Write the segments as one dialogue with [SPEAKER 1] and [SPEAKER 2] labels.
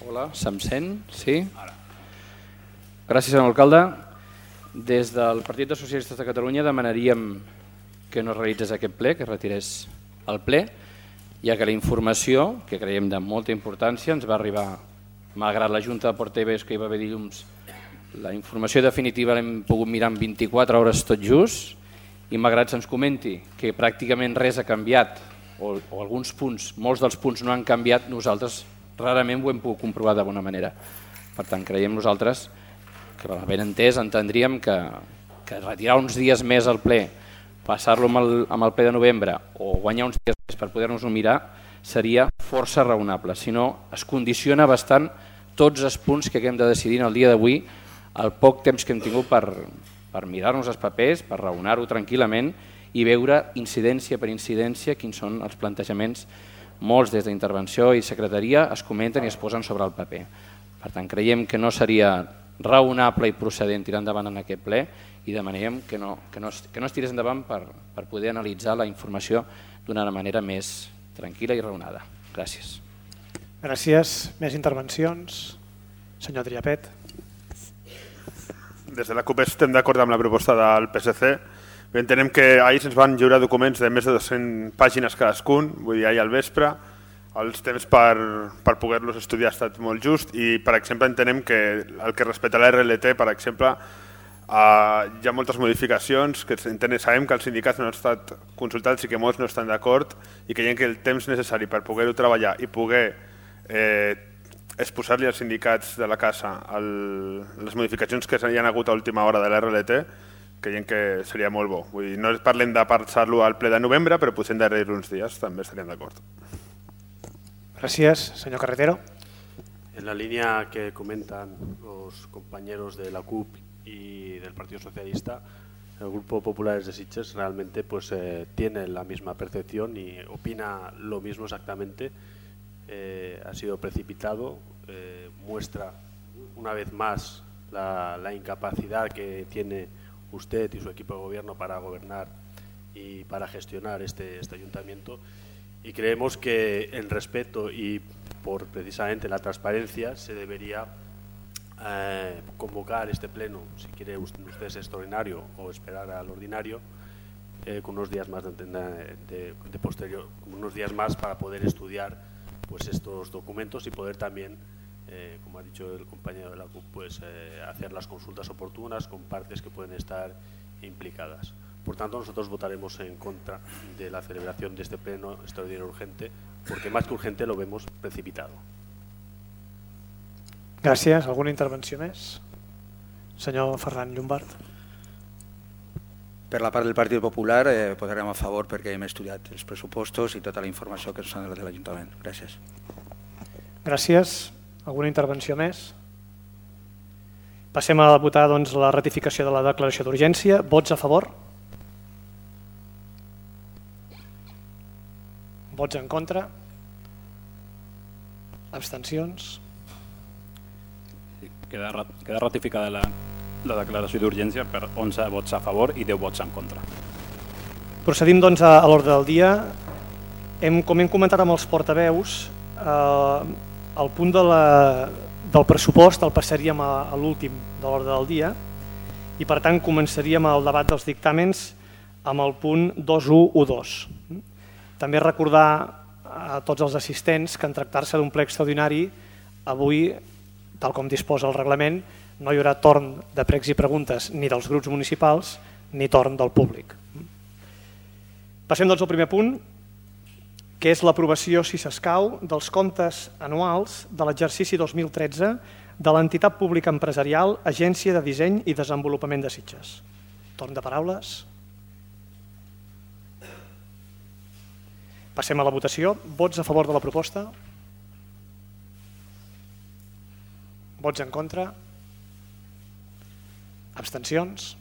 [SPEAKER 1] Hola, se'm sent? Sí? Gràcies, senyor alcalde. Des del Partit dels Socialistes de Catalunya demanaríem que no es realitzés aquest ple, que es retirés el ple, ja que la informació, que creiem de molta importància, ens va arribar, malgrat la Junta de Portaveus que hi va haver dilluns, la informació definitiva l'hem pogut mirar en 24 hores tot just, i malgrat se'ns comenti que pràcticament res ha canviat, o alguns punts, molts dels punts no han canviat, nosaltres rarament ho hem pogut comprovar de bona manera. Per tant, creiem nosaltres que, ben entès, entendríem que retirar uns dies més al ple, passar-lo amb el ple de novembre o guanyar uns dies més per poder-nos-ho mirar seria força raonable. Si no, es condiciona bastant tots els punts que hem de decidir en el dia d'avui, el poc temps que hem tingut per mirar-nos els papers, per raonar-ho tranquil·lament i veure incidència per incidència quins són els plantejaments. Molts des d'intervenció i secretaria es comenten i es posen sobre el paper. Per tant, creiem que no seria raonable i procedent tirar endavant en aquest ple i demanem que no es tirés endavant per poder analitzar la informació d'una manera més tranquil·la i raonada. Gràcies.
[SPEAKER 2] Gràcies. Més intervencions? Senyor Triapet.
[SPEAKER 3] Des de la CUP estem d'acord amb la proposta del PSC. Entenem que ahir se'ns van lliurar documents de més de 200 pàgines cadascun, vull dir, ahir al vespre. Els temps per poder-los estudiar ha estat molt just i, per exemple, entenem que el que respecta a la RLT, per exemple, hi ha moltes modificacions que sabem que els sindicats no han estat consultats i que molts no estan d'acord i creiem que el temps necessari per poder-ho treballar i poder exposar-li als sindicats de la casa les modificacions que hi ha hagut a última hora de la RLT creiem que seria molt bo. Vull dir, no parlem de passar-lo al ple de novembre, però potser endarrerir uns dies també estaríem d'acord.
[SPEAKER 2] Gracias. Señor Carretero.
[SPEAKER 4] En la línea que comentan los compañeros de la CUP y del Partido Socialista, el Grupo Populares de Sitges realmente tiene la misma percepción y opina lo mismo exactamente. Ha sido precipitado, muestra una vez más la incapacidad que tiene usted y su equipo de gobierno para gobernar y para gestionar este ayuntamiento. Y creemos que en respeto y por precisamente la transparencia se debería convocar este pleno, si quiere usted extraordinario o esperar al ordinario, con unos días más de posterior, unos días más para poder estudiar estos documentos y poder también, como ha dicho el compañero de la CUP, hacer las consultas oportunas con partes que pueden estar implicadas. Por tanto, nosotros votaremos en contra de la celebración de este pleno extraordinario urgente, porque más que urgente lo vemos precipitado.
[SPEAKER 2] Gràcies. Alguna intervenció més? Senyor Ferran Llombart.
[SPEAKER 5] Per la part del Partit Popular votarem a favor perquè hem estudiat els pressupostos i tota la informació que ens han donat de l'Ajuntament. Gràcies.
[SPEAKER 2] Gràcies. Alguna intervenció més? Passem a votar la ratificació de la declaració d'urgència. Vots a favor? Vots en contra? Abstencions?
[SPEAKER 6] Queda ratificada la declaració d'urgència per 11 vots a favor i 10 vots en contra.
[SPEAKER 2] Procedim doncs a l'ordre del dia. Com hem comentat amb els portaveus, el punt del pressupost el passaríem a l'últim de l'ordre del dia i per tant començaríem el debat dels dictàmens amb el punt 2.1.1.2. També recordar a tots els assistents que en tractar-se d'un ple extraordinari avui, tal com disposa el reglament, no hi haurà torn de pregs i preguntes ni dels grups municipals ni torn del públic. Passem doncs al primer punt, que és l'aprovació, si s'escau, dels comptes anuals de l'exercici 2013 de l'entitat pública empresarial Agència de Disseny i Desenvolupament de Sitges. Torn de paraules. Passem a la votació. Vots a favor de la proposta? Vots en contra? Abstencions?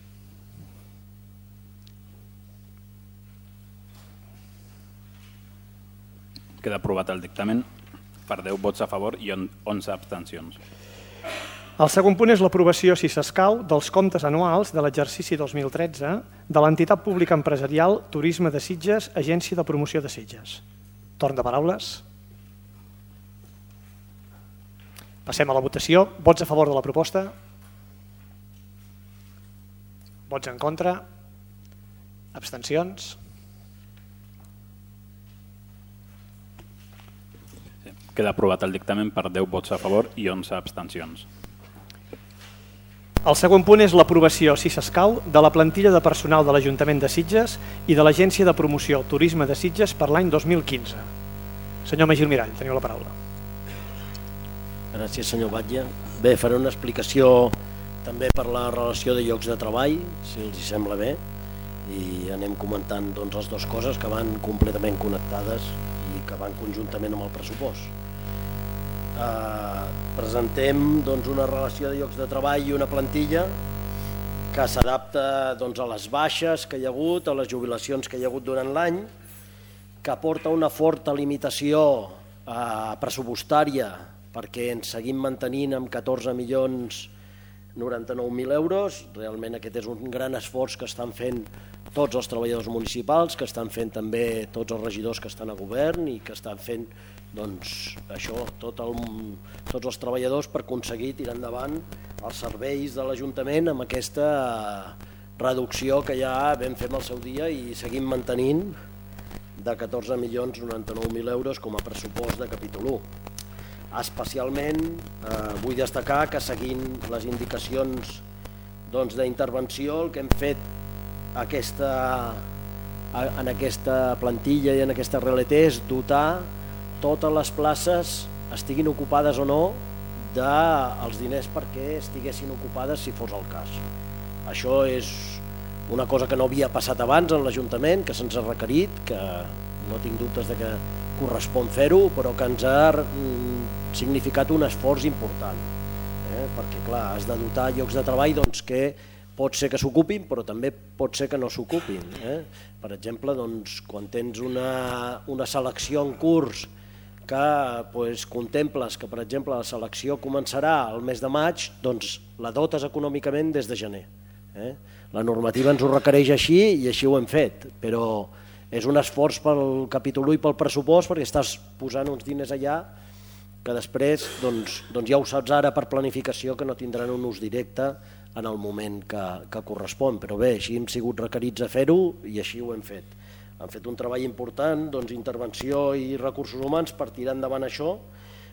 [SPEAKER 6] Queda aprovat el dictamen per 10 vots a favor i 11 abstencions.
[SPEAKER 2] El segon punt és l'aprovació, si s'escau, dels comptes anuals de l'exercici 2013 de l'entitat pública empresarial Turisme de Sitges, Agència de Promoció de Sitges. Torn de paraules. Passem a la votació. Vots a favor de la proposta? Vots en contra? Abstencions?
[SPEAKER 6] Queda aprovat el dictamen per 10 vots a favor i 11 abstencions.
[SPEAKER 2] El següent punt és l'aprovació, si s'escau, de la plantilla de personal de l'Ajuntament de Sitges i de l'Agència de Promoció Turisme de Sitges per l'any 2015. Senyor Magí Almirall, teniu la paraula.
[SPEAKER 7] Gràcies, senyor Batlle. Bé, faré una explicació també per la relació de llocs de treball, si els sembla bé, i anem comentant les dues coses que van completament connectades i que van conjuntament amb el pressupost. Presentem una relació de llocs de treball i una plantilla que s'adapta a les baixes que hi ha hagut, a les jubilacions que hi ha hagut durant l'any, que aporta una forta limitació pressupostària perquè ens seguim mantenint amb 14.099.000 euros. Realment aquest és un gran esforç que estan fent tots els treballadors municipals, que estan fent també tots els regidors que estan a govern i que estan fent tots els treballadors per aconseguir tirar endavant els serveis de l'Ajuntament amb aquesta reducció que ja vam fer en el seu dia i seguim mantenint de 14.099.000 euros com a pressupost de capítol 1. Especialment vull destacar que seguint les indicacions d'intervenció el que hem fet en aquesta plantilla i en aquesta RLT és dotar totes les places, estiguin ocupades o no, dels diners perquè estiguessin ocupades si fos el cas. Això és una cosa que no havia passat abans en l'Ajuntament, que se'ns ha requerit, que no tinc dubtes de que correspon fer-ho, però que ens ha significat un esforç important, perquè clar, has de dotar llocs de treball que pot ser que s'ocupin, però també pot ser que no s'ocupin. Per exemple, quan tens una selecció en curs que contemples que, per exemple, la selecció començarà el mes de maig, doncs la dotes econòmicament des de gener. La normativa ens ho requereix així i així ho hem fet, però és un esforç pel capítol 1 i pel pressupost perquè estàs posant uns diners allà que després ja ho saps ara per planificació que no tindran un ús directe en el moment que correspon, però bé, així hem sigut requerits a fer-ho i així ho hem fet. Han fet un treball important, intervenció i recursos humans per tirar endavant això,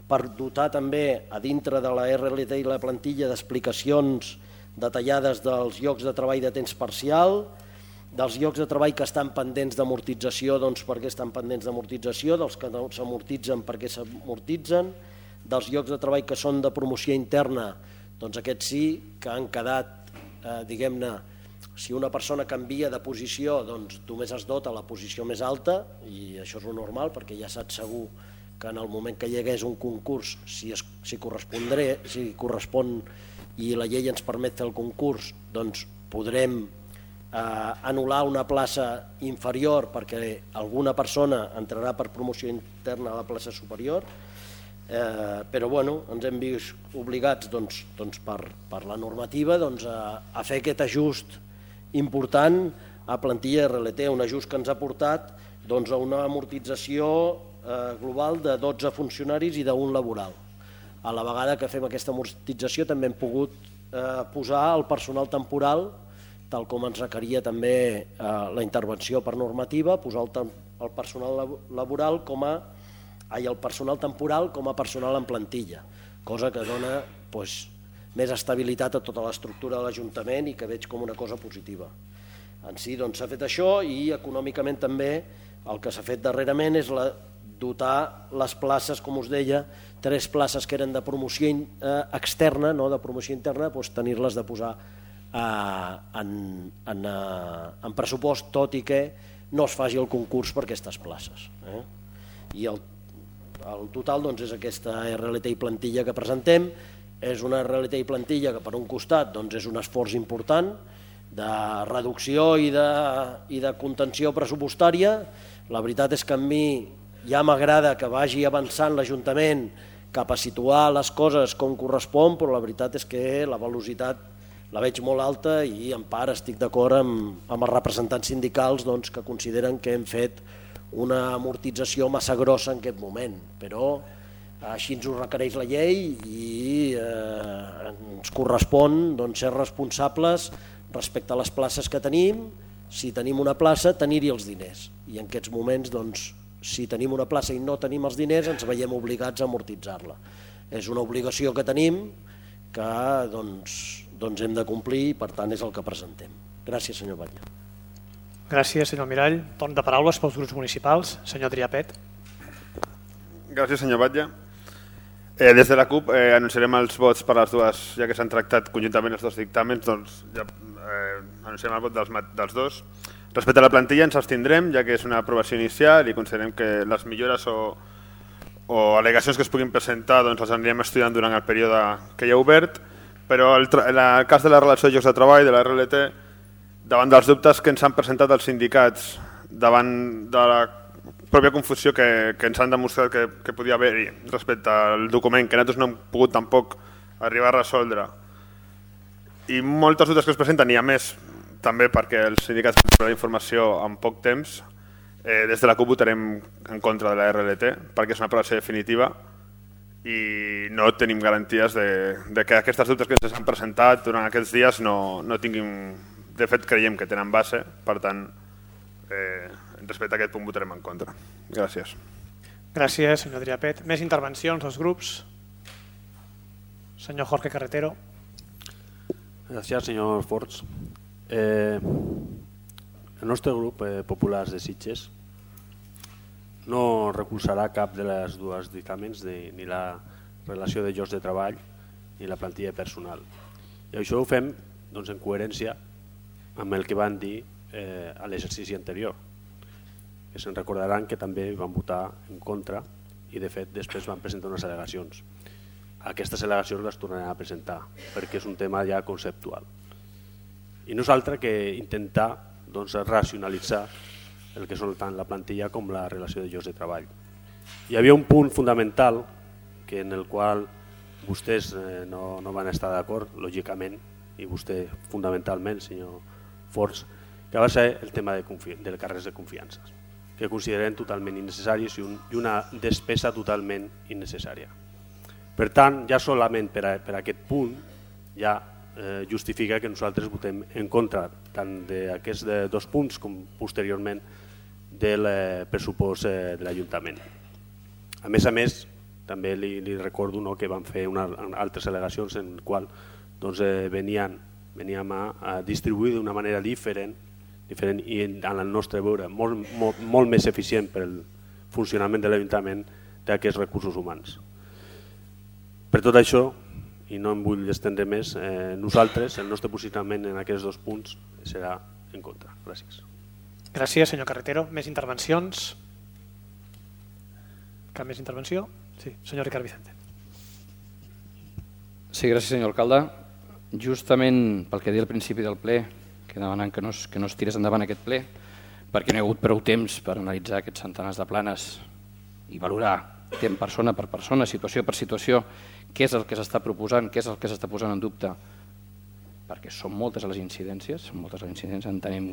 [SPEAKER 7] per dotar també a dintre de la RLT i la plantilla d'explicacions detallades dels llocs de treball de temps parcial, dels llocs de treball que estan pendents d'amortització, per què estan pendents d'amortització, dels que no s'amortitzen, per què s'amortitzen, dels llocs de treball que són de promoció interna, aquests sí que han quedat, diguem-ne, si una persona canvia de posició, només es dota la posició més alta, i això és lo normal, perquè ja saps segur que en el moment que hi hagués un concurs, si correspon i la llei ens permet fer el concurs, podrem anul·lar una plaça inferior perquè alguna persona entrarà per promoció interna a la plaça superior, però ens hem vist obligats per la normativa a fer aquest ajust important a plantilla RLT, un ajust que ens ha portat a una amortització global de 12 funcionaris i d'un laboral. A la vegada que fem aquesta amortització també hem pogut posar el personal temporal, tal com ens requeria també la intervenció per normativa, posar el personal laboral el personal temporal com a personal en plantilla, cosa que dona més estabilitat a tota l'estructura de l'Ajuntament i que veig com una cosa positiva. En si s'ha fet això i econòmicament també el que s'ha fet darrerament és dotar les places, com us deia, 3 places que eren de promoció externa, no de promoció interna, tenir-les de posar en pressupost, tot i que no es faci el concurs per aquestes places. I el total és aquesta RLT i plantilla que presentem. És una RLT i plantilla que per un costat és un esforç important de reducció i de contenció pressupostària. La veritat és que a mi ja m'agrada que vagi avançant l'Ajuntament cap a situar les coses com correspon, però la veritat és que la velocitat la veig molt alta i en part estic d'acord amb els representants sindicals que consideren que hem fet una amortització massa grossa en aquest moment, però Així ens ho requereix la llei i ens correspon ser responsables respecte a les places que tenim. Si tenim una plaça, tenir-hi els diners. I en aquests moments, si tenim una plaça i no tenim els diners, ens veiem obligats a amortitzar-la. És una obligació que tenim que hem de complir i per tant és el que presentem. Gràcies, senyor Batlle.
[SPEAKER 2] Gràcies, senyor Mirall. Torn de paraules pels grups municipals. Senyor Adrià Pet.
[SPEAKER 3] Gràcies, senyor Batlle. Des de la CUP anunciarem els vots per les dues, ja que s'han tractat conjuntament els dos dictàmens, doncs ja anunciem el vot dels dos. Respecte a la plantilla ens abstindrem, ja que és una aprovació inicial i considerem que les millores o al·legacions que es puguin presentar les anirem estudiant durant el període que hi ha obert, però en el cas de la relació de llocs de treball, de la RLT, davant dels dubtes que ens han presentat els sindicats, davant de la pròpia confusió que ens han demostrat que podia haver-hi respecte al document, que nosaltres no hem pogut tampoc arribar a resoldre, i moltes dubtes que es presenten, i a més també perquè els sindicats tenen la informació en poc temps, des de la CUP votarem en contra de la RLT perquè és una aprovació definitiva i no tenim garanties de que aquestes dubtes que ens han presentat durant aquests dies no tinguin, de fet creiem que tenen base, per tant respecte a aquest punt votarem en contra. Gràcies.
[SPEAKER 2] Gràcies, senyor Adrià Pet. Més intervencions dels grups? Senyor Jorge Carretero.
[SPEAKER 4] Gràcies, senyor Forts. El nostre grup Populars de Sitges no recolzarà cap de les dues dictàmens, ni la relació de llocs de treball ni la plantilla personal. I això ho fem en coherència amb el que van dir a l'exercici anterior, que se'n recordaran que també van votar en contra i de fet després van presentar unes al·legacions. Aquestes al·legacions les tornarem a presentar perquè és un tema ja conceptual. I no és altre que intentar racionalitzar el que són tant la plantilla com la relació de llocs de treball. Hi havia un punt fundamental en el qual vostès no van estar d'acord, lògicament, i vostè fundamentalment, senyor Forts, que va ser el tema de càrrecs de confiança, que considerem totalment innecessaris i una despesa totalment innecessària. Per tant, ja solament per aquest punt ja justifica que nosaltres votem en contra tant d'aquests dos punts com posteriorment del pressupost de l'Ajuntament. A més, també li recordo que van fer altres al·legacions en les quals veníem a distribuir d'una manera diferent i en el nostre veure molt més eficient per al funcionament de l'Ajuntament d'aquests recursos humans. Per tot això, i no em vull estendre més, nosaltres, el nostre posicionament en aquests dos punts serà en contra. Gràcies.
[SPEAKER 2] Gràcies, senyor Carretero. Més intervencions? Cap més intervenció? Sí, senyor Ricard Vicente.
[SPEAKER 1] Sí, gràcies, senyor alcalde. Justament pel que deia al principi del ple, que demanant que no es tirés endavant aquest ple, perquè no hi ha hagut prou temps per analitzar aquests centenars de planes i valorar persona per persona, situació per situació, què és el que s'està proposant, què és el que s'està posant en dubte, perquè són moltes les incidències, entenem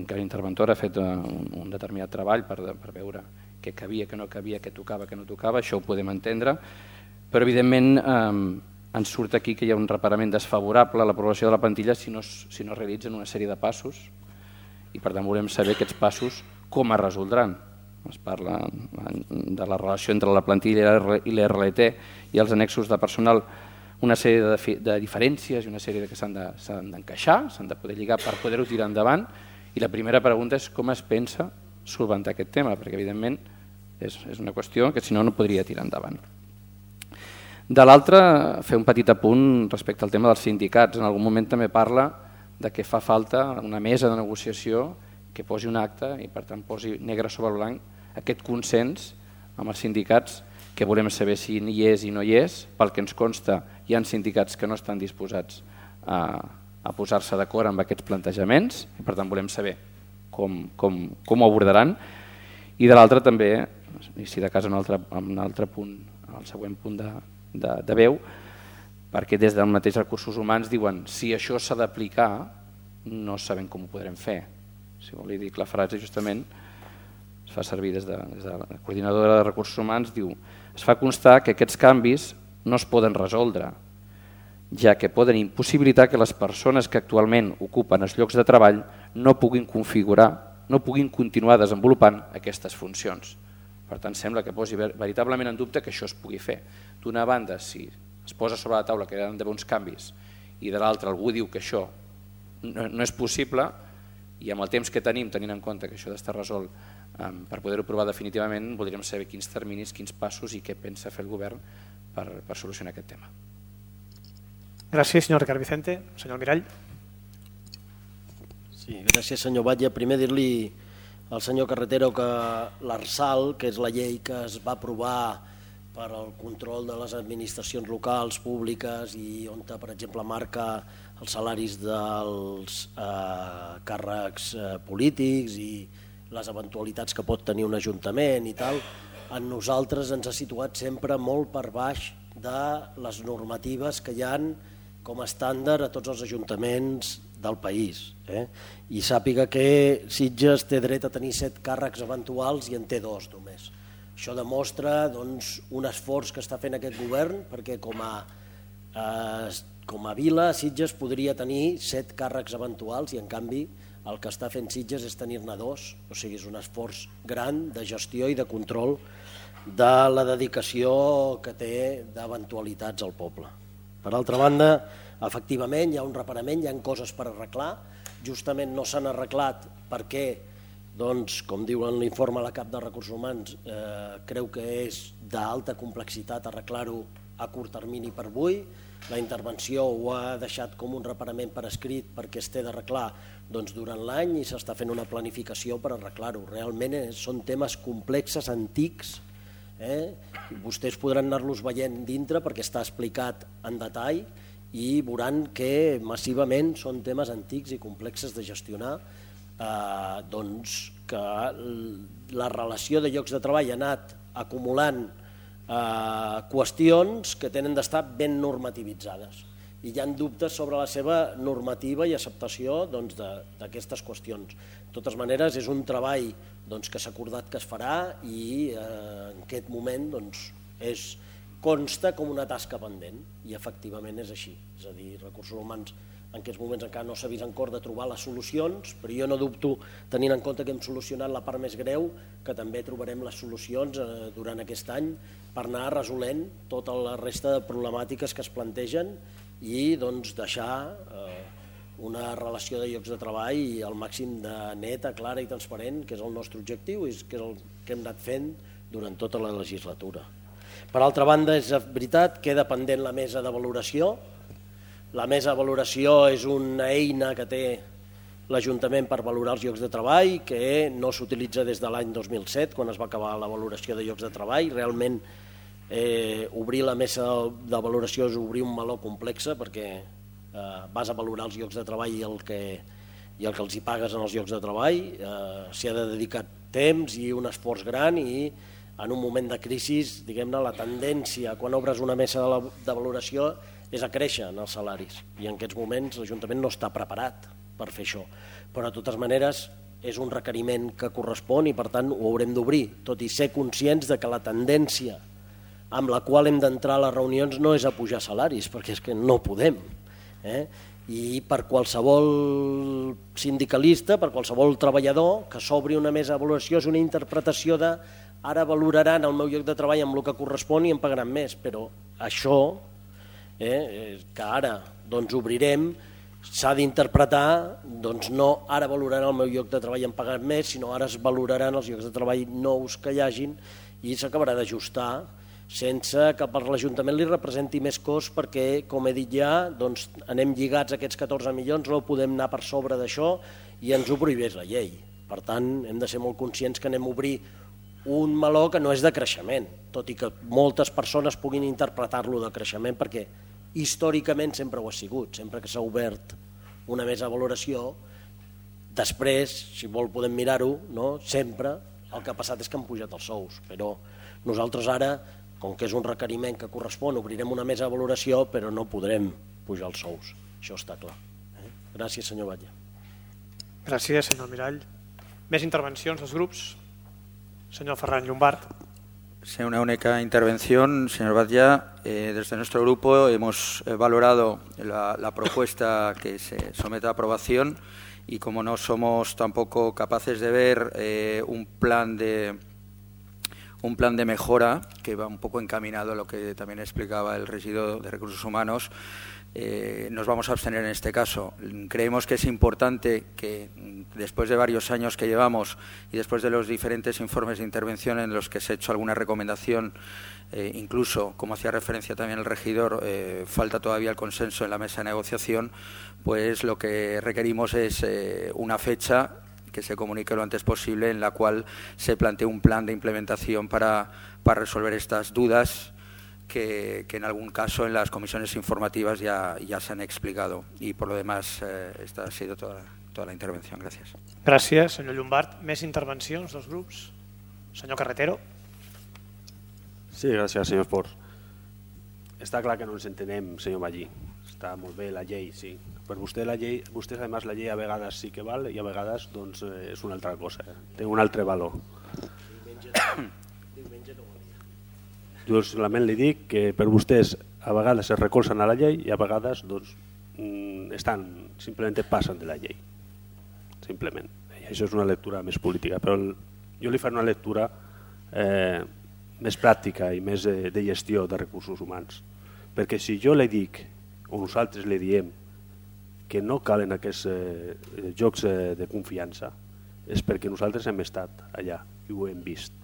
[SPEAKER 1] que l'interventor ha fet un determinat treball per veure què cabia, què no cabia, què tocava, què no tocava, això ho podem entendre, però evidentment ens surt aquí que hi ha un reparament desfavorable a l'aprovació de la plantilla si no es realitzen una sèrie de passos i per tant volem saber aquests passos com es resoldran. Es parla de la relació entre la plantilla i l'RLT i els annexos de personal, una sèrie de diferències i una sèrie que s'han d'encaixar, s'han de poder lligar per poder-ho tirar endavant, i la primera pregunta és com es pensa solventar aquest tema, perquè evidentment és una qüestió que si no podria tirar endavant. De l'altra, fer un petit apunt respecte al tema dels sindicats. En algun moment també parla de que fa falta una mesa de negociació que posi un acte i per tant posi negre sobre blanc aquest consens amb els sindicats, que volem saber si hi és i no hi és. Pel que ens consta, hi ha sindicats que no estan disposats a posar-se d'acord amb aquests plantejaments i per tant volem saber com ho abordaran. I de l'altra també, i si de cas en un altre punt, el següent punt de veu, perquè des del mateix recursos humans diuen si això s'ha d'aplicar no sabem com ho podrem fer. Si vol dir que la frase justament es fa servir des de la coordinadora de recursos humans, diu Es fa constar que aquests canvis no es poden resoldre, ja que poden impossibilitar que les persones que actualment ocupen els llocs de treball no puguin continuar desenvolupant aquestes funcions. Per tant, sembla que posi veritablement en dubte que això es pugui fer. D'una banda, si es posa sobre la taula que hi ha d'haver uns canvis i de l'altra algú diu que això no és possible, i amb el temps que tenim, tenint en compte que això ha d'estar resolt per poder-ho provar definitivament, voldríem saber quins terminis, quins passos i què pensa fer el govern per solucionar aquest tema.
[SPEAKER 2] Gràcies, senyor Ricard Vicente. Senyor Mirall.
[SPEAKER 7] Sí, gràcies, senyor Batlle. Primer dir-li al senyor Carretero que l'ARSAL, que és la llei que es va aprovar per al control de les administracions locals, públiques i on, per exemple, marca els salaris dels càrrecs polítics i les eventualitats que pot tenir un ajuntament i tal, a nosaltres ens ha situat sempre molt per baix de les normatives que hi han com a estàndard a tots els ajuntaments del país. I sàpiga que Sitges té dret a tenir 7 càrrecs eventuals i en té 2 només. Això demostra un esforç que està fent aquest govern perquè com a vila Sitges podria tenir 7 càrrecs eventuals i en canvi el que està fent Sitges és tenir-ne 2, o sigui, és un esforç gran de gestió i de control de la dedicació que té d'eventualitats al poble. Per altra banda, efectivament hi ha un reparament, hi ha coses per arreglar, justament no s'han arreglat perquè, doncs, com diu en l'informe la cap de Recursos Humans, creu que és d'alta complexitat arreglar-ho a curt termini per avui. La intervenció ho ha deixat com un reparament per escrit perquè es té d'arreglar durant l'any i s'està fent una planificació per arreglar-ho. Realment són temes complexes, antics, vostès podran anar-los veient dintre perquè està explicat en detall i veuran que massivament són temes antics i complexes de gestionar, que la relació de llocs de treball ha anat acumulant qüestions que tenen d'estar ben normativitzades i hi ha dubtes sobre la seva normativa i acceptació d'aquestes qüestions. De totes maneres, és un treball que s'ha acordat que es farà i en aquest moment consta com una tasca pendent i efectivament és així. És a dir, Recursos Humans en aquests moments encara no s'ha vist en cor de trobar les solucions, però jo no dubto, tenint en compte que hem solucionat la part més greu, que també trobarem les solucions durant aquest any per anar resolent tota la resta de problemàtiques que es plantegen i deixar una relació de llocs de treball al màxim de neta, clara i transparent, que és el nostre objectiu i que és el que hem anat fent durant tota la legislatura. Per altra banda, és veritat, queda pendent la mesa de valoració. La mesa de valoració és una eina que té l'Ajuntament per valorar els llocs de treball, que no s'utilitza des de l'any 2007, quan es va acabar la valoració de llocs de treball. Realment, obrir la mesa de valoració és obrir un meló complex perquè vas a valorar els llocs de treball i el que els hi pagues en els llocs de treball. S'hi ha de dedicar temps i un esforç gran i en un moment de crisi, diguem-ne, la tendència quan obres una mesa de valoració és a créixer en els salaris i en aquests moments l'Ajuntament no està preparat per fer això, però de totes maneres és un requeriment que correspon i per tant ho haurem d'obrir, tot i ser conscients de que la tendència amb la qual hem d'entrar a les reunions no és a pujar salaris, perquè és que no podem. I per qualsevol sindicalista, per qualsevol treballador que s'obri una mesa de valoració és una interpretació de ara valoraran el meu lloc de treball amb el que correspon i em pagaran més, però això que ara obrirem s'ha d'interpretar no ara valoraran el meu lloc de treball i em pagaran més, sinó ara es valoraran els llocs de treball nous que hi hagin i s'acabarà d'ajustar sense que per l'Ajuntament li representi més cost perquè, com he dit ja, anem lligats a aquests 14 milions, no podem anar per sobre d'això i ens ho prohibeix la llei. Per tant, hem de ser molt conscients que anem a obrir un meló que no és de creixement, tot i que moltes persones puguin interpretar-lo de creixement perquè històricament sempre ho ha sigut, sempre que s'ha obert una mesa de valoració, després, si vol podem mirar-ho, sempre el que ha passat és que han pujat els sous, però nosaltres ara, com que és un requeriment que correspon, obrirem una mesa de valoració, però no podrem pujar els sous, això està clar. Gràcies, senyor Batlle.
[SPEAKER 2] Gràcies, senyor Mirall. Més intervencions dels grups? Senyor Ferran Llombart.
[SPEAKER 5] Sí, una única intervención, señor Batlla. Desde nuestro grupo hemos valorado la propuesta que se somete a aprobación y como no somos tampoco capaces de ver un plan de mejora que va un poco encaminado a lo que también explicaba el regidor de Recursos Humanos, nos vamos a abstener en este caso. Creemos que es importante que después de varios años que llevamos y después de los diferentes informes de intervención en los que se ha hecho alguna recomendación, incluso, como hacía referencia también el regidor, falta todavía el consenso en la mesa de negociación, pues lo que requerimos es una fecha que se comunique lo antes posible en la cual se plantee un plan de implementación para resolver estas dudas que en algún caso en las comisiones informativas ya se han explicado. Y por lo demás, esta ha sido toda la intervención. Gràcies.
[SPEAKER 2] Gràcies, senyor Llombart. Més intervencions dels grups? Senyor Carretero.
[SPEAKER 4] Sí, gràcies, senyor Esport. Està clar que no ens entenem, senyor Magí. Està molt bé la llei, sí. Per vostè la llei, vostès, a més, la llei a vegades sí que val i a vegades doncs, és una altra cosa, té un altre valor. Jo solament li dic que per vostès a vegades es recolzen a la llei i a vegades doncs, simplement passen de la llei. Simplement. I això és una lectura més política, però jo li faré una lectura més pràctica i més de gestió de recursos humans. Perquè si jo li dic, o nosaltres li diem, que no calen aquests jocs de confiança, és perquè nosaltres hem estat allà i ho hem vist.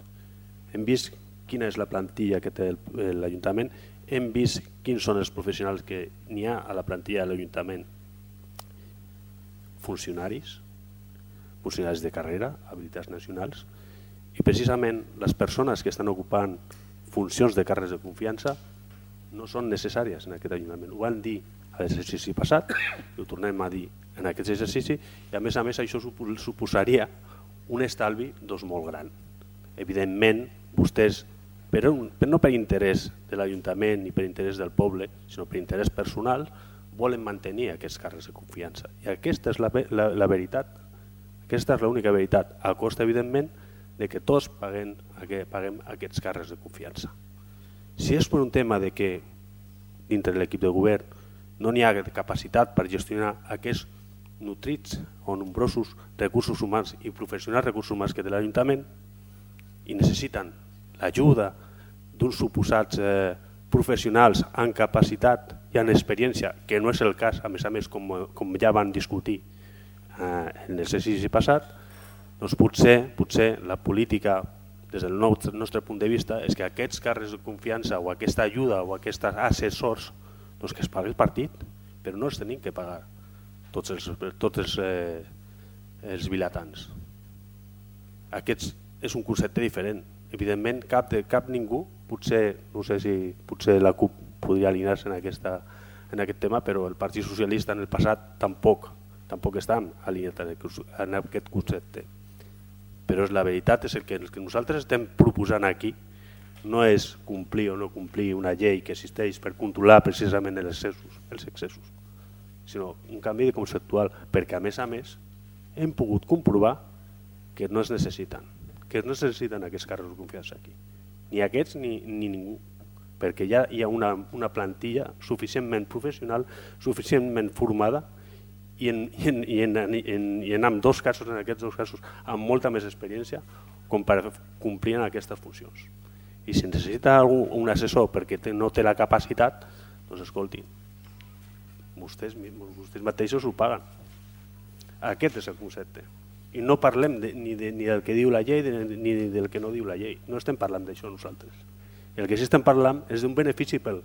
[SPEAKER 4] Hem vist quina és la plantilla que té l'Ajuntament, hem vist quins són els professionals que n'hi ha a la plantilla de l'Ajuntament. Funcionaris de carrera, habilitats nacionals, i precisament les persones que estan ocupant funcions de càrrecs de confiança no són necessàries en aquest Ajuntament. Ho van dir a l'exercici passat, i ho tornem a dir en aquest exercici, i a més això suposaria un estalvi molt gran. Evidentment, vostès, no per interès de l'Ajuntament ni per interès del poble, sinó per interès personal, volen mantenir aquests càrrecs de confiança. I aquesta és la veritat, aquesta és l'única veritat, a costa, evidentment, de que tots paguem aquests càrrecs de confiança. Si és per un tema de que dintre de l'equip de govern no n'hi ha capacitat per gestionar aquests nutrits o nombrosos recursos humans i professionals recursos humans que té l'Ajuntament i necessiten l'ajuda d'uns suposats professionals amb capacitat i amb experiència, que no és el cas, a més, com ja van discutir en l'exercici passat, doncs potser la política, des del nostre punt de vista, és que aquests càrrecs de confiança o aquesta ajuda o aquests assessors que es pagui el partit, però no els tenim que pagar tots els vilatans. Aquest és un concepte diferent. Evidentment, cap ningú, potser, no sé si potser la CUP podria alinear-se en aquest tema, però el Partit Socialista en el passat tampoc estan alineats en aquest concepte. Però la veritat és que el que nosaltres estem proposant aquí no és complir o no complir una llei que existeix per controlar precisament els excessos, sinó un canvi conceptual, perquè a més hem pogut comprovar que no es necessiten aquests càrrecs de confiança aquí, ni aquests ni ningú, perquè ja hi ha una plantilla suficientment professional, suficientment formada i en ambdós casos, en aquests dos casos, amb molta més experiència com per complir aquestes funcions. I si necessita un assessor perquè no té la capacitat, doncs escoltin, vostès mateixos ho paguen. Aquest és el concepte. I no parlem ni del que diu la llei ni del que no diu la llei. No estem parlant d'això nosaltres. El que sí estem parlant és d'un benefici pel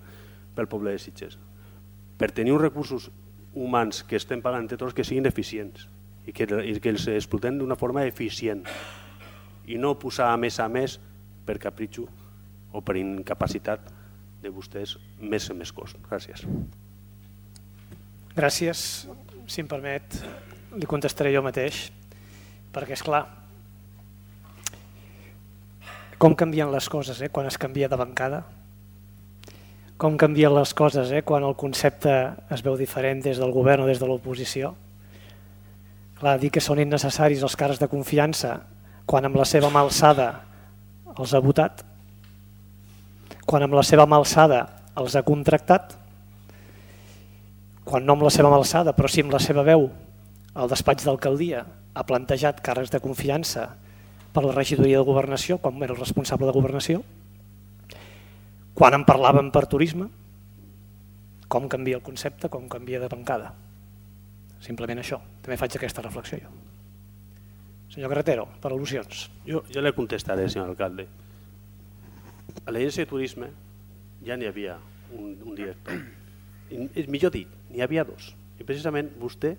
[SPEAKER 4] poble de Sitges. Per tenir uns recursos humans que estem pagant entre tots que siguin eficients i que els explotem d'una forma eficient i no posar a més per capritxo o per incapacitat de vostès més cost. Gràcies.
[SPEAKER 2] Gràcies. Si em permet, li contestaré jo mateix, perquè és clar, com canvien les coses quan es canvia de bancada, com canvien les coses quan el concepte es veu diferent des del govern o des de l'oposició. Clar, dir que són innecessaris els càrrecs de confiança quan amb la seva mà alçada els ha votat, quan amb la seva mà alçada els ha contractat, quan no amb la seva mà alçada però sí amb la seva veu el despatx d'alcaldia ha plantejat càrrecs de confiança per la regidoria de governació quan era el responsable de governació, quan en parlàvem per turisme, com canvia el concepte, com canvia de bancada. Simplement això, també faig aquesta reflexió jo. Senyor Carretero, per al·lusions.
[SPEAKER 4] Jo le contestaré, senyor alcalde. A l'agència de turisme ja n'hi havia un director. Millor dit, n'hi havia dos. I precisament vostè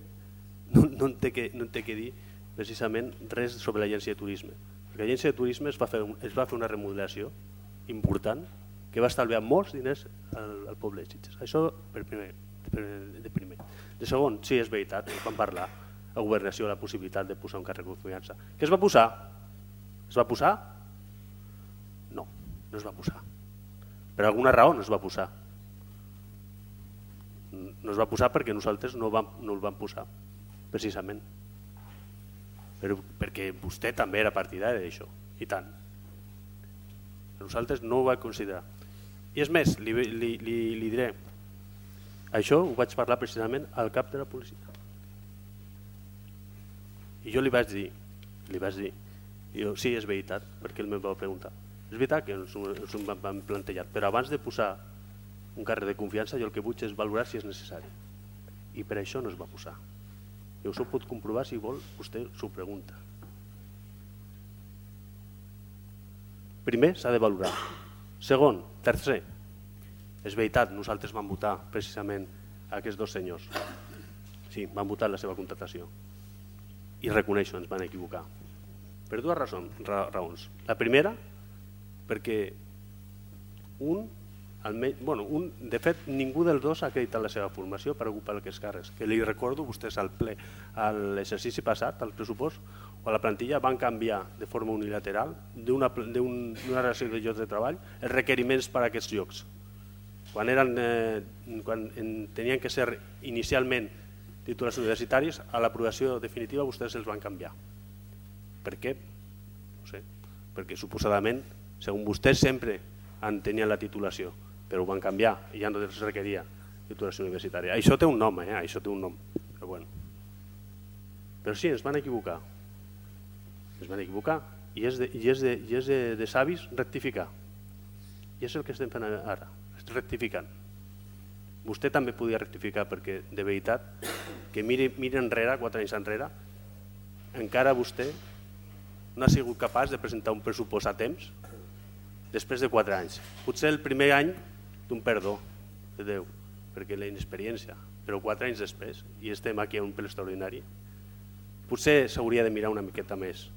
[SPEAKER 4] no en té que dir precisament res sobre l'agència de turisme. Perquè l'agència de turisme es va fer una remodelació important que va estalviar molts diners al poble de Sitges. Això de primer. De segon, sí, és veritat, vam parlar a governació la possibilitat de posar un càrrec de confiança. Què es va posar? Es va posar? No es va posar. Per alguna raó no es va posar. No es va posar perquè nosaltres no el vam posar, precisament. Perquè vostè també era partidari d'això, i tant. Nosaltres no ho vam considerar. I és més, li diré, això ho vaig parlar precisament al cap de la policia. I jo li vaig dir, sí, és veritat, perquè ell em va preguntar. És veritat que ens ho vam plantejar, però abans de posar un càrrec de confiança jo el que vull és valorar si és necessari. I per això no es va posar. I això ho pot comprovar si vol, vostè s'ho pregunta. Primer, s'ha de valorar. Segon, tercer, és veritat, nosaltres vam votar precisament aquests dos senyors. Sí, vam votar la seva contractació. I reconeixo, ens van equivocar. Per dues raons. La primera, perquè de fet, ningú dels dos ha acreditat la seva formació per ocupar aquests càrrecs. Que li recordo, vostès al ple, a l'exercici passat, al pressupost, o a la plantilla, van canviar de forma unilateral d'una relació de llocs de treball els requeriments per a aquests llocs. Quan tenien que ser inicialment títols universitaris, a l'aprovació definitiva vostès els van canviar. Per què? No sé. Perquè suposadament, segons vostès, sempre en tenien la titulació, però ho van canviar i ja no es requeria titulació universitària. Això té un nom, això té un nom. Però sí, ens van equivocar. I és de savis rectificar. I és el que estem fent ara, rectificant. Vostè també podia rectificar perquè, de veritat, que miri enrere, 4 anys enrere, encara vostè no ha sigut capaç de presentar un pressupost a temps després de 4 anys. Potser el primer any d'un perdó de Déu, perquè la inexperiència, però 4 anys després, i estem aquí a un ple extraordinari, potser s'hauria de mirar una miqueta més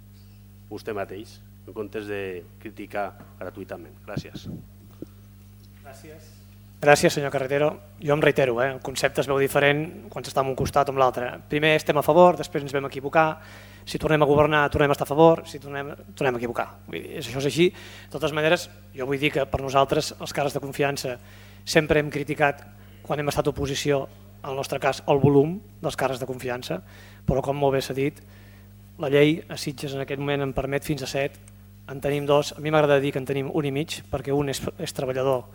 [SPEAKER 4] vostè mateix, en comptes de criticar gratuïtament. Gràcies.
[SPEAKER 2] Gràcies, senyor Carretero. Jo em reitero, el concepte es veu diferent quan s'està en un costat o en l'altre. Primer estem a favor, després ens vam equivocar, si tornem a governar tornem a estar a favor, si tornem a equivocar. Això és així. De totes maneres, jo vull dir que per nosaltres els càrrecs de confiança sempre hem criticat, quan hem estat a oposició, en el nostre cas, el volum dels càrrecs de confiança, però com molt bé s'ha dit, la llei a Sitges en aquest moment en permet fins a 7, en tenim 2, a mi m'agrada dir que en tenim 1 i mig, perquè un és treballador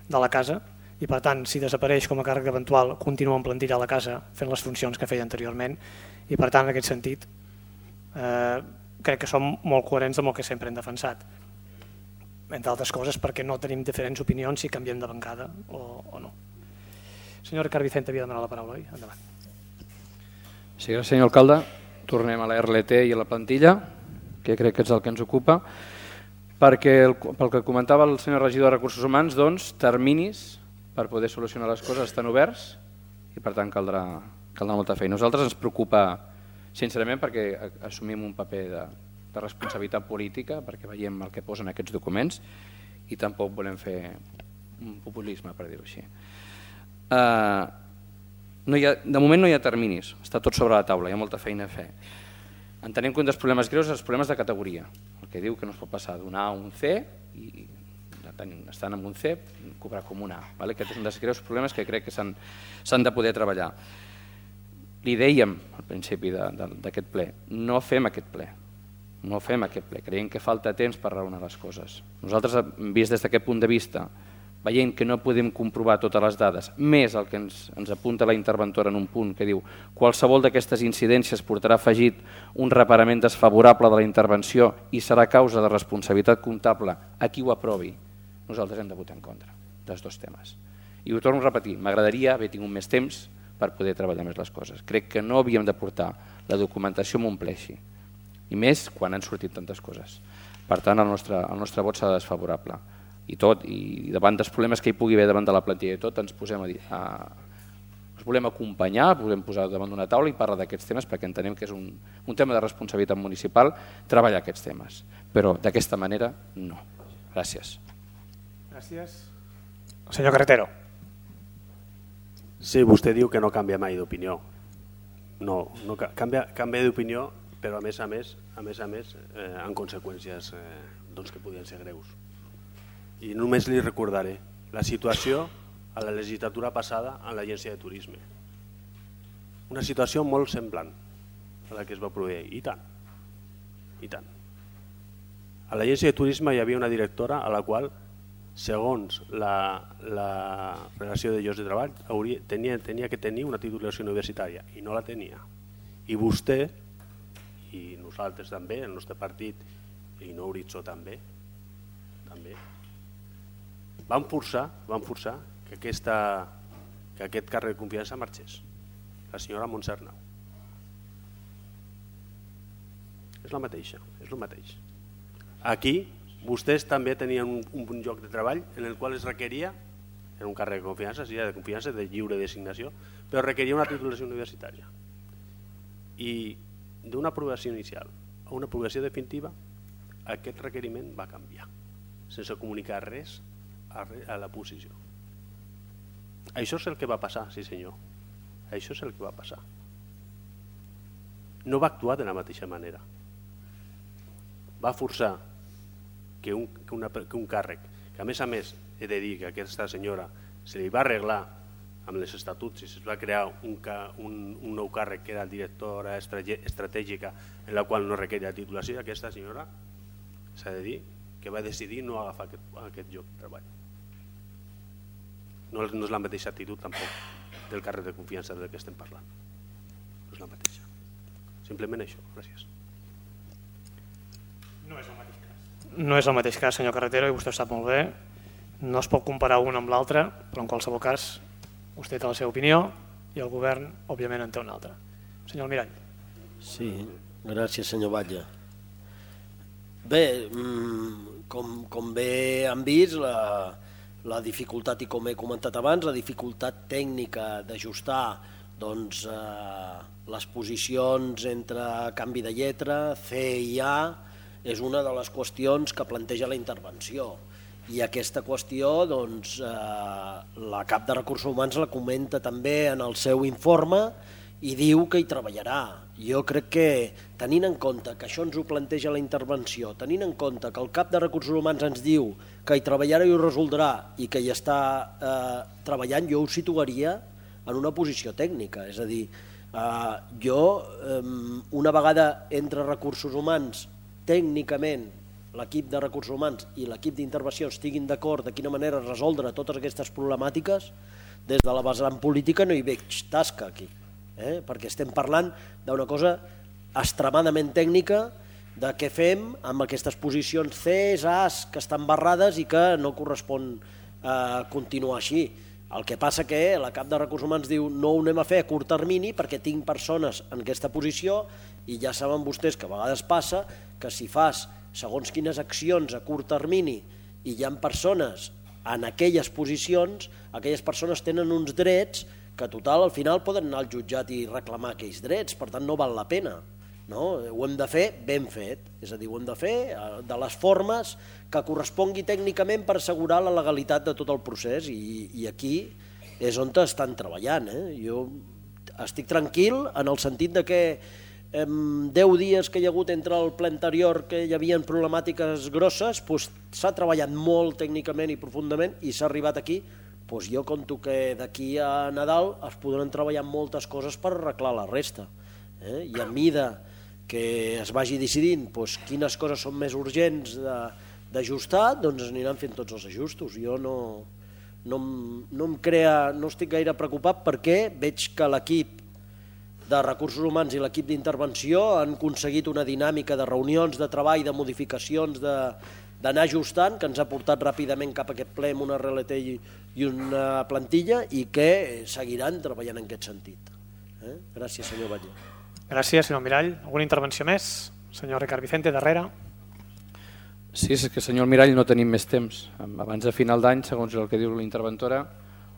[SPEAKER 2] de la casa, i per tant, si desapareix com a càrrec eventual, continua en plantilla a la casa fent les funcions que feia anteriorment, i per tant, en aquest sentit, crec que som molt coherents amb el que sempre hem defensat. Entre altres coses, perquè no tenim diferents opinions si canviem de bancada o no. Senyor Ricard Vicente havia demanat la paraula, oi? Endavant.
[SPEAKER 1] Sí, gràcies, senyor alcalde. Tornem a la RLT i a la plantilla, que crec que és el que ens ocupa, perquè pel que comentava el senyor regidor de Recursos Humans, doncs, terminis per poder solucionar les coses estan oberts i per tant caldrà molta feina. A nosaltres ens preocupa sincerament perquè assumim un paper de responsabilitat política, perquè veiem el que posen aquests documents i tampoc volem fer un populisme, per dir-ho així. De moment no hi ha terminis, està tot sobre la taula, hi ha molta feina a fer. Entenem que un dels problemes greus és els problemes de categoria, el que diu que no es pot passar d'un A a un C i estan en un C, cobrar com un A. Aquest és un dels greus problemes que crec que s'han de poder treballar. Li dèiem al principi d'aquest ple, no fem aquest ple, creiem que falta temps per raonar les coses. Nosaltres, vist des d'aquest punt de vista, veient que no podem comprovar totes les dades, més el que ens apunta la interventora en un punt que diu qualsevol d'aquestes incidències portarà afegit un reparament desfavorable de la intervenció i serà causa de responsabilitat comptable a qui ho aprovi, nosaltres hem de votar en contra dels dos temes. I ho torno a repetir, m'agradaria haver tingut més temps per poder treballar més les coses. Crec que no havíem de portar la documentació amb un ple així, i més quan han sortit tantes coses. Per tant, el nostre vot serà desfavorable. I davant dels problemes que hi pugui haver davant de la plantilla i tot, ens volem acompanyar, volem posar davant d'una taula i parlar d'aquests temes perquè entenem que és un tema de responsabilitat municipal treballar aquests temes, però d'aquesta manera no. Gràcies.
[SPEAKER 2] Gràcies. Senyor Carretero.
[SPEAKER 4] Sí, vostè diu que no canvia mai d'opinió. No canvia d'opinió, però a més a més amb conseqüències que podien ser greus. I només li recordaré la situació a la legislatura passada en l'agència de turisme. Una situació molt semblant a la que es va produir. I tant. A l'agència de turisme hi havia una directora a la qual, segons la relació de llocs de treball, tenia que tenir una titulació universitària i no la tenia. I vostè, i nosaltres també, el nostre partit, i no Horitzó també, van forçar que aquest càrrec de confiança marxés, la senyora Montse Arnau. És el mateix. Aquí vostès també tenien un lloc de treball en el qual es requeria, en un càrrec de confiança, de lliure designació, però requeria una titulació universitària. I d'una aprovació inicial a una aprovació definitiva, aquest requeriment va canviar, sense comunicar res a la posició. Això és el que va passar, sí senyor. Això és el que va passar. No va actuar de la mateixa manera. Va forçar que un càrrec, que a més he de dir que aquesta senyora se li va arreglar amb els estatuts i es va crear un nou càrrec que era directora estratègica en la qual no requeria titulació, i aquesta senyora s'ha de dir que va decidir no agafar aquest lloc de treball. No és la mateixa actitud tampoc del càrrec de confiança del que estem parlant. No és la mateixa. Simplement això. Gràcies.
[SPEAKER 2] No és el mateix cas. No és el mateix cas, senyor Carretero, i vostè ho sap molt bé. No es pot comparar un amb l'altre, però en qualsevol cas vostè té la seva opinió i el govern, òbviament, en té una altra. Senyor Almirall.
[SPEAKER 7] Sí, gràcies, senyor Batlle. Bé, com bé han vist, la dificultat, i com he comentat abans, la dificultat tècnica d'ajustar les posicions entre canvi de lletra, C i A, és una de les qüestions que planteja la intervenció. I aquesta qüestió, la cap de Recursos Humans la comenta també en el seu informe i diu que hi treballarà. Jo crec que, tenint en compte que això ens ho planteja la intervenció, tenint en compte que el cap de Recursos Humans ens diu que hi treballarà i ho resoldrà i que hi està treballant, jo ho situaria en una posició tècnica. És a dir, una vegada entre Recursos Humans, tècnicament, l'equip de Recursos Humans i l'equip d'intervenció estiguin d'acord de quina manera resoldre totes aquestes problemàtiques, des de la vessant política no hi veig tasca aquí, perquè estem parlant d'una cosa extremadament tècnica de què fem amb aquestes posicions Cs, As, que estan barrades i que no correspon continuar així. El que passa que la cap de Recursos Humans diu no ho anem a fer a curt termini perquè tinc persones en aquesta posició i ja saben vostès que a vegades passa que si fas segons quines accions a curt termini i hi ha persones en aquelles posicions, aquelles persones tenen uns drets que total al final poden anar al jutjat i reclamar aquells drets, per tant no val la pena. Ho hem de fer ben fet, és a dir, ho hem de fer de les formes que correspongui tècnicament per assegurar la legalitat de tot el procés i aquí és on estan treballant. Jo estic tranquil en el sentit de que 10 dies que hi ha hagut entre el ple anterior que hi havia problemàtiques grosses, s'ha treballat molt tècnicament i profundament i s'ha arribat aquí. Jo conto que d'aquí a Nadal es podran treballar moltes coses per arreglar la resta. I a mida que es vagi decidint quines coses són més urgents d'ajustar, doncs aniran fent tots els ajustos. Jo no no estic gaire preocupat perquè veig que l'equip de recursos humans i l'equip d'intervenció han aconseguit una dinàmica de reunions, de treball, de modificacions, d'anar ajustant, que ens ha portat ràpidament cap a aquest ple amb una RLT i una plantilla i que seguiran treballant en aquest sentit. Gràcies, senyor Batlle.
[SPEAKER 2] Gràcies, senyor Mirall. Alguna intervenció més? Senyor Ricard Vicente, darrere.
[SPEAKER 1] Sí, és que, senyor Mirall, no tenim més temps. Abans de final d'any, segons el que diu la interventora,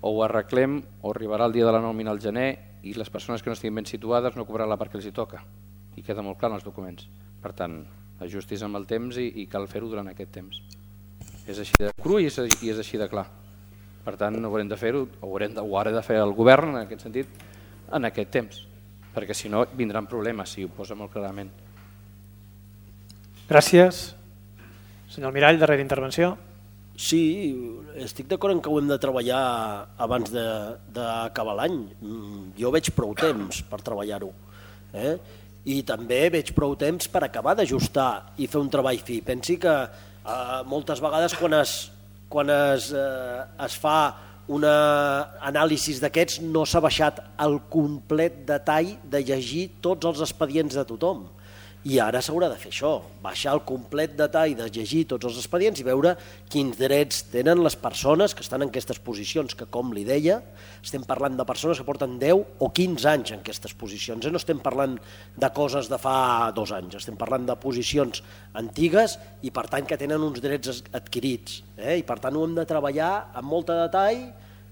[SPEAKER 1] o ho arreglem o arribarà el dia de la nòmina al gener i les persones que no estiguin ben situades no cobraran la part que els hi toca. I queda molt clar en els documents. Per tant, ajustis amb el temps i cal fer-ho durant aquest temps. És així de cru i és així de clar. Per tant, no haurem de fer-ho, ho haurà de fer el govern en aquest sentit, en aquest temps, perquè si no vindran problemes, si ho posa molt clarament.
[SPEAKER 2] Gràcies. Senyor Mirall, darrera intervenció.
[SPEAKER 7] Sí, estic d'acord en que ho hem de treballar abans d'acabar l'any. Jo veig prou temps per treballar-ho. I també veig prou temps per acabar d'ajustar i fer un treball fi. Pensi que moltes vegades quan es fa una anàlisi d'aquests no s'ha baixat el complet detall de llegir tots els expedients de tothom. I ara s'haurà de fer això, baixar el complet detall de llegir tots els expedients i veure quins drets tenen les persones que estan en aquestes posicions, que com li deia, estem parlant de persones que porten 10 o 15 anys en aquestes posicions, no estem parlant de coses de fa 2 anys, estem parlant de posicions antigues i per tant que tenen uns drets adquirits, i per tant ho hem de treballar amb molt de detall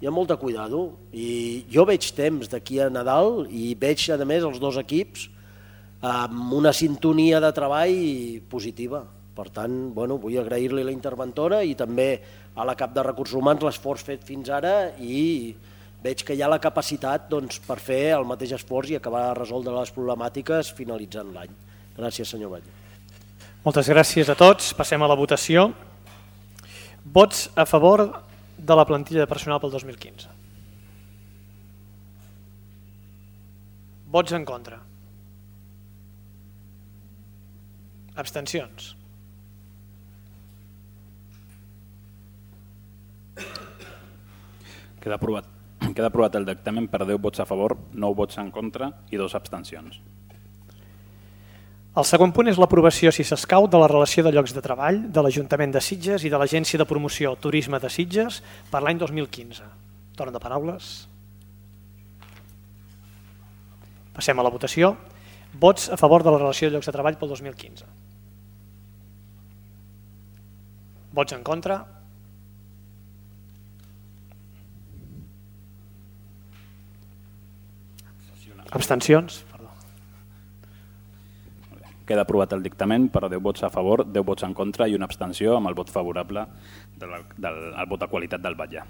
[SPEAKER 7] i amb molt de cuidado. I jo veig temps d'aquí a Nadal i veig a més els dos equips amb una sintonia de treball positiva. Per tant, vull agrair-li a la interventora i també a la cap de Recursos Humans l'esforç fet fins ara i veig que hi ha la capacitat per fer el mateix esforç i acabar de resoldre les problemàtiques finalitzant l'any. Gràcies, senyor Batlle.
[SPEAKER 2] Moltes gràcies a tots. Passem a la votació. Vots a favor de la plantilla de personal pel 2015. Vots en contra. Abstencions.
[SPEAKER 6] Queda aprovat el dictamen per 10 vots a favor, 9 vots en contra i 2 abstencions.
[SPEAKER 2] El segon punt és l'aprovació, si s'escau, de la relació de llocs de treball de l'Ajuntament de Sitges i de l'Agència de Promoció Turisme de Sitges per l'any 2015. Torn de paraules. Passem a la votació. Vots a favor de la relació de llocs de treball pel 2015. Vots en contra. Abstencions.
[SPEAKER 6] Queda aprovat el dictamen per 10 vots a favor, 10 vots en contra i una abstenció amb el vot favorable del vot de qualitat del Batlle.